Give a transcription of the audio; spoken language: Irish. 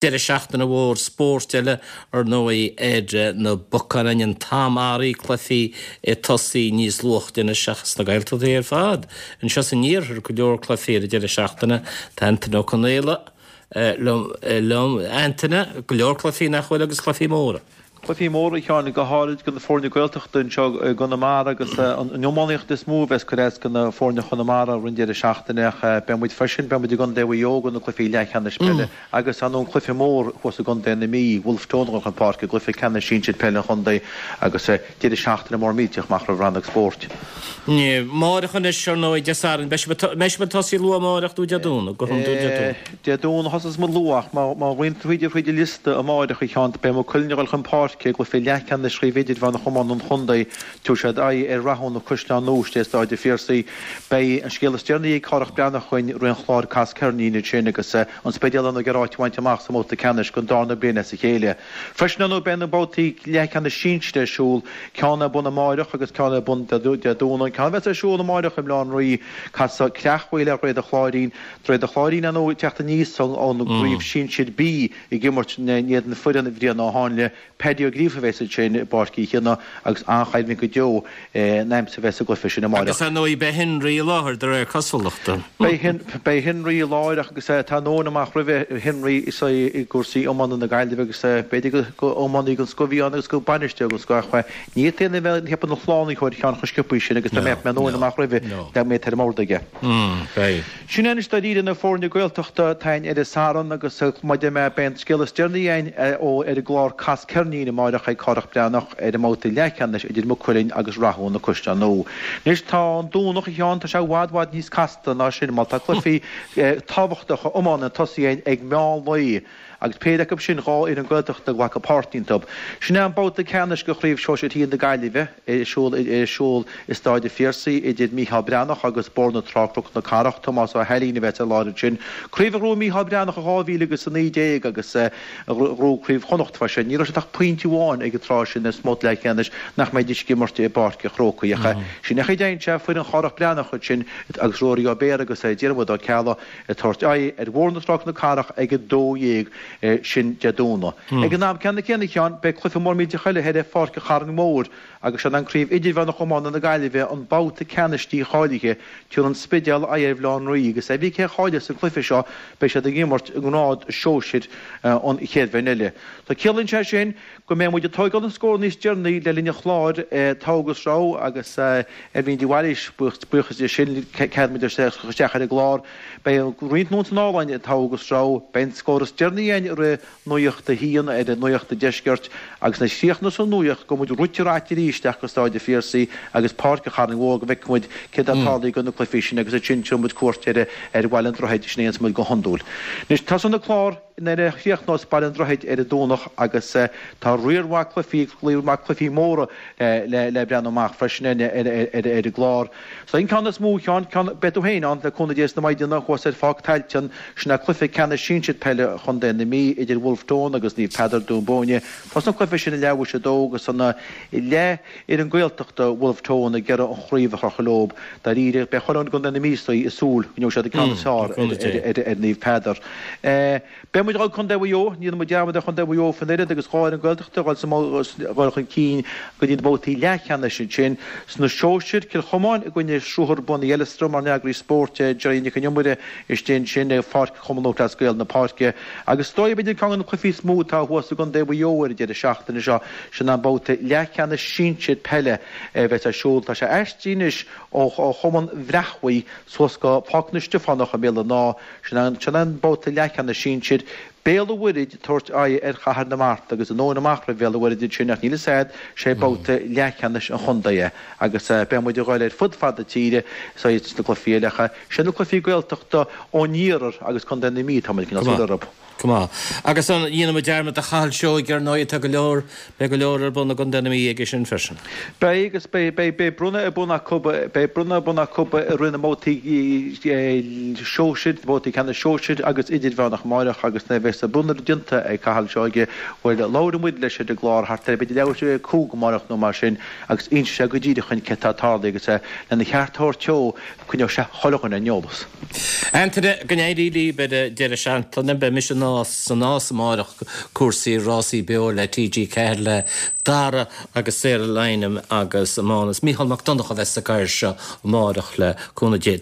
Deireadh seachtaine mhór spóirt eile, ar ndóigh, ar na bacáin againn, an t-am earraigh, cluichí ag tosaí níos luaithe anois seachas sna Gaeltachtaí ar fad. Anseo san iarthar, go leor cluichí ar an deireadh seachtaine. Tá Antaine Ó Conaola liom. Antaine, go leor cluichí nach bhfuil agus cluichí móra. Cluichí móra, a Sheáin, go háirid do na foirne Gaeltachta anseo i gConamara agus an iománaíocht is mó a bheas ag cur as do na foirne Chonamara roimh an deireadh seachtaine ach beidh muid freisin, beidh muid i gContae Mhaigh Eo do na cluichí leathcheannais peile agus ar ndóigh an cluiche mór thuas i gContae na Mí, Wolfe Tone a dhul chun páirce i gcluiche ceannais sinsir peile an chontae agus deireadh seachtaine mór millteach amach roimh Rannóg Spóirt. Amáireach anois, ar ndóigh, Dé Sathairn, beidh sibh ag tosaí luath amáireach nó Dé Domhnaigh, go hiondúil Dé Domhnaigh. Dé Domhnaigh a thosós muid luath ach má roinnt thríd thríd an liosta amáireach a Sheáin beidh Maigh Cuilinn ag dul chun páirce i gcluiche leathcheannais Chraobh Idirmheánach Iomána an Chontae. Tabharfaidh siad aghaidh ar Rathúna Caisleán Nua istigh i Stáid an Phiarsaigh. Beidh an scéal is deireanaí ag Cárthach Breathnach againn roimh an chlár Cas Ceirnín ansin agus an Spidéal ag iarraidh áit a bhaint amach sa mbabhta ceannais don darna bliain as a chéile. Freisin ar ndóigh beidh na babhtaí leathcheannais sinsir ar siúl, ceann ar bun amáireach agus ceann ar bun Dé Domhnaigh. An ceann a bheas ar siúl amáireach i mBaile Átha an Rí, casfaidh Creach Mhaoil ar Dhroichead an Chláirín. Droichead an Chláirín, ar ndóigh, ag teacht aníos ón gcraobh sinsir B ag imirt in éadan foireann Bhrian Ó Háinle. Paddy Ó Gríofa a bheas ansin i bPáirc Uí Chionnaith agus an-choimhlint go deo in aimsir a bheas sa gcluiche sin amáireach. Agus ar ndóigh beidh Henry i láthair de réir cosúlachta. Beidh Henry i láthair agus tá an tóin amach roimhe Henry is é i gcúrsaí iomána na Gaillimhe agus b'fhéidir gur iománaí den scoth a bhí ann agus gur bainisteoir den scoth ach ní hé an a bheith ina shlánaitheoir Sheáin chomh sciobtha sin agus dá mbeadh an tóin amach roimhe dá mbeadh ar an mbord aige. Beidh. Sin é anois dáiríre na foirne Gaeltachta atá againn ar an Satharn agus mar a deir mé beidh an scéal is deireanaí againn ó ar an gclár Cas Ceirnín amáireach ag Cárthach Breathnach ar an mbabhta leathcheannais idir Maigh Cuilinn agus Rathúna Caisleán Nua. Anois tá an Domhnach a Sheáin, tá sé i bhfad bhfad níos casta ná sin mar tá cluichí tábhachtacha iomána ag tosaí againn ag meán lae agus péire acu sin 2 fhoireann Gaeltachta ag glacadh páirt iontu. Sin é an babhta ceannais de Chraobh Shóisir Thiar na Gaillimhe ar siúl ar siúl i Stáid an Phiarsaigh idir Mícheál Breathnach agus Bóthar na Trá Cnoc na Cathrach. Tomás Ó hAilín a bheas ar láthair ansin. Craobh a ghnóthaigh Mícheál Breathnach i 2019 agus a ghnóthaigh Craobh Chonnacht freisin. Ní raibh siad ach pointe amháin ag an tráth sin sa mbabhta leathcheannais nach mbeidís ag imirt i bPáirc an Chrócaigh ach sin é an chaoi a dtéann sé foireann Chárthach Breathnach ansin agus Ruairí Ó Béarra agus Diarmuid Ó Ceallaigh ag tabhairt aghaidh ar Bhóthar na Trá Cnoc na Cathrach ag 12:00 sin Dé Domhnaigh. Ag an am ceanna céanna, a Sheáin, beidh cluiche mór millteach eile thoir ar Pháirc an Charraing Mhóir agus sin an Craobh Idirmheánach Iomána na Gaillimhe, an babhta ceannais dícháilithe. Tabharfaidh an Spidéal aghaidh ar Bhaile Átha an Rí agus cibé cé a chaillfeas an cluiche seo beidh siad ag imirt i ngrád sóisir an chéad bhliain eile. So ciallaíonn sé sin go mbeidh muid ag tóigeáil an scór níos deireanaí le linn an chláir Togha agus Rogha agus Eibhlín de Bhailís, buíochas di sin, cead muid isteach ar an gclár. Beidh roinnt nóiméad san álainn ag Togha agus Rogha. Beidh an scór is deireanaí againn i rith Nuacht a hAon ar Nuacht an Deiscirt agus nuair a chríochnós an nuacht gabhfaidh muid rite raite arís isteach go Stáid an Phiarsaigh agus Páirc an Charraing Mhóir go bhfeicfidh muid céard atá tarlaithe do na cluichí sin agus ansin tabharfaidh muid cuairt ar Bhaile an Droichid, sin a dhéanfas muid go hiondúil. Anois tosaíonn an clár. Nuair a chríochnós Baile an Droichid ar an Domhnach agus tá riar mhaith cluichí, riar mhaith cluichí móra le breathnú amach freisin ar an gclár. So an ceann is mó, a Sheáin, ceann, beidh tú féin ann le cúnamh Dé sna maighdeana thuas ar Pháirc Tailteann, sin é cluiche ceannais sinsir peile Chontae na Mí idir Wolfe Tone agus Naomh Peadar, Dún Búinne. Tosaíonn an cluiche sin ag leathuair tar éis a dó agus an leath-fhoireann Gaeltachta, Wolfe Tone, ag iarraidh an chraobh a chrochadh leo. Dáiríre, beidh chuile dhuine i gContae na Mí istigh ag súil go ngeobhaidh siad an ceann is fearr ar Naomh Peadar. Beidh muid ag dul Contae Mhaigh Eo, ní dhéanfaidh muid dearmad ar Chontae Mhaigh Eo faoin oiread agus 2 fhoireann Gaeltachta ag dul chun cinn go dtí na babhtaí leathcheannais ansin. Sna sóisir, Cill Chomáin i gcoinne Shruthar Bun Uí Eileastraim, ár n-eagraí spóirt Gerry Nic an Iomaire istigh ansin ag Pháirc Chumann Lúthchleas Gael na Páirce. Agus is dóigh, b'fhéidir, ceann de na cluichí is mó atá thuas i gContae Mhaigh Eo ar an deireadh seachtaine seo, sin an babhta leathcheannais sinsir peile a bheas ar siúl. Tá sé aistrithe anois ó Chumann Bhreachmhaigh suas go Páirc na Stiofánach i mBéal an Átha. Sin an sin an babhta leathcheannais sinsir. Béal an Mhuirthid ag tabhairt aghaidh ar Chathair na Mart agus an tóin amach roimh Bhéal an Mhuirthid ansin ach níl fhios a'd, sé babhta leathcheannais an chontae é agus beidh muid ag dul ar fud fad na tíre sna cluichí eile ach sin na cluichí Gaeltachta ón iarthar agus Contae na Mí tá muid ag coinneáil súil orthu. Go maith. Agus an ndéanfaidh muid dearmad de Chathal Seoige ar ndóigh, tá go leor, beidh go leor ar bun i gContae na Mí aige sin freisin. Beidh agus beidh, beidh, beidh bronnadh ar bun acu, beidh bronnadh ar bun acu i rith na mbabhtaí sóisir, babhtaí ceannais sóisir agus idirmheánach amáireach agus na. bheas an bronnadh déanta ag Cathal Seoige, bhuel, labhróidh muid leis ar an gclár thart ar b'fhéidir leathuair tar éis 5 amárach nó mar sin agus inseoidh sé go díreach dhuinn céard tá tarlaithe agus lena cheart a thabhairt dó, coinneoidh sé chuile dhuine ar an eolas. Antaine, go n-éirí libh ar an deireadh seachtaine. Beidh mise sa Nás amárach, cúrsaí rásaí beo le TG4 le Dara agus Sarah Lynam agus Mánas. Mícheál Mac Donncha a bheas sa gcarr seo amárach le cúnamh Dé.